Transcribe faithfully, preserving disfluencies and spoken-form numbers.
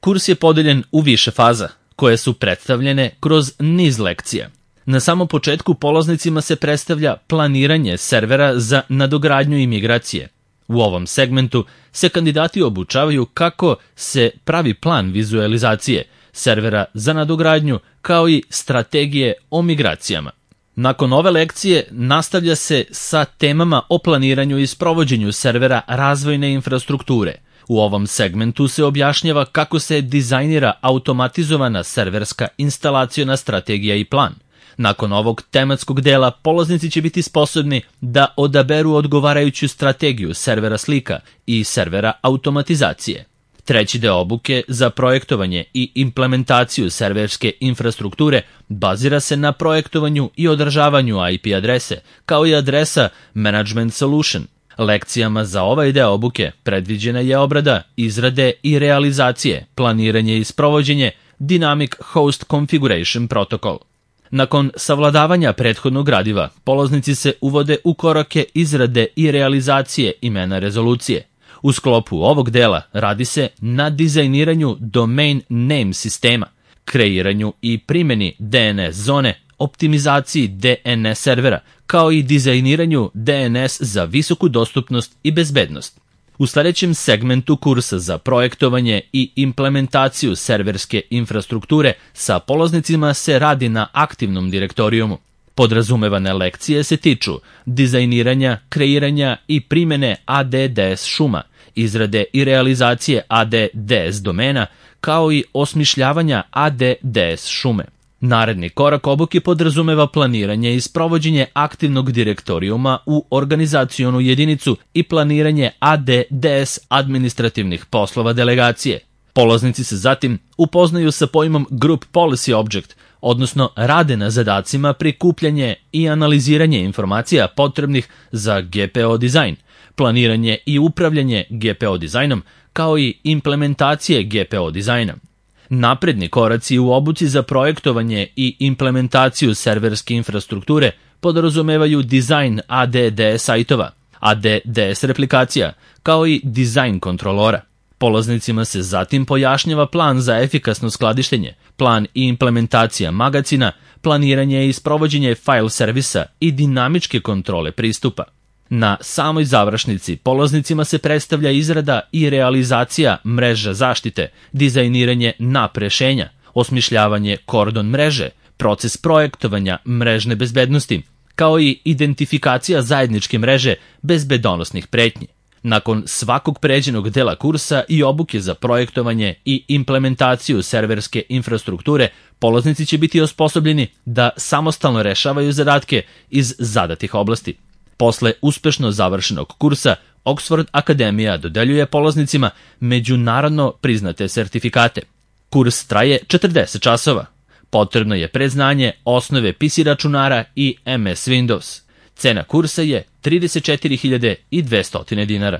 Kurs je podeljen u više faza, koje su predstavljene kroz niz lekcija. Na samom početku polaznicima se predstavlja planiranje servera za nadogradnju i migracije. U ovom segmentu se kandidati obučavaju kako se pravi plan vizualizacije servera za nadogradnju, kao i strategije o migracijama. Nakon ove lekcije nastavlja se sa temama o planiranju i sprovođenju servera razvojne infrastrukture. U ovom segmentu se objašnjava kako se dizajnira automatizovana serverska instalaciona strategija i plan. Nakon ovog tematskog dela polaznici će biti sposobni da odaberu odgovarajuću strategiju servera slika i servera automatizacije. Treći deo obuke za projektovanje i implementaciju serverske infrastrukture bazira se na projektovanju i održavanju I P adrese, kao i adresa Management Solution. Lekcijama za ovaj deo obuke predviđena je obrada, izrade i realizacije, planiranje i sprovođenje Dynamic Host Configuration Protocol. Nakon savladavanja prethodnog gradiva, polaznici se uvode u korake izrade i realizacije imena rezolucije. U sklopu ovog dela radi se na dizajniranju domain name sistema, kreiranju i primjeni D N S zone, optimizaciji D N S servera, kao i dizajniranju D N S za visoku dostupnost i bezbednost. U sljedećem segmentu kursa za projektovanje i implementaciju serverske infrastrukture sa polaznicima se radi na aktivnom direktorijumu. Podrazumevane lekcije se tiču dizajniranja, kreiranja i primjene A D D S šuma, izrade i realizacije A D D S domena, kao i osmišljavanja A D D S šume. Naredni korak obuke podrazumeva planiranje i sprovođenje aktivnog direktorijuma u organizacionu jedinicu i planiranje A D D S administrativnih poslova delegacije. Polaznici se zatim upoznaju sa pojmom Group Policy Object, odnosno rade na zadacima prikupljanje i analiziranje informacija potrebnih za G P O dizajn, planiranje i upravljanje G P O dizajnom, kao i implementacije G P O dizajna. Napredni koraci u obuci za projektovanje i implementaciju serverske infrastrukture podrazumevaju dizajn A D D S sajtova, A D D S replikacija, kao i dizajn kontrolora. Polaznicima se zatim pojašnjava plan za efikasno skladištenje, plan i implementacija magacina, planiranje i sprovođenje file servisa i dinamičke kontrole pristupa. Na samoj završnici polaznicima se predstavlja izrada i realizacija mreža zaštite, dizajniranje nap rešenja, osmišljavanje kordon mreže, proces projektovanja mrežne bezbednosti, kao i identifikacija zajedničke mreže bezbedonosnih pretnji. Nakon svakog pređenog dela kursa i obuke za projektovanje i implementaciju serverske infrastrukture, polaznici će biti osposobljeni da samostalno rešavaju zadatke iz zadatih oblasti. Posle uspešno završenog kursa, Oxford Akademija dodeljuje polaznicima međunarodno priznate sertifikate. Kurs traje četrdeset časova. Potrebno je predznanje osnove P C računara i M S Windows. Cena kursa je trideset četiri hiljade dvesta dinara.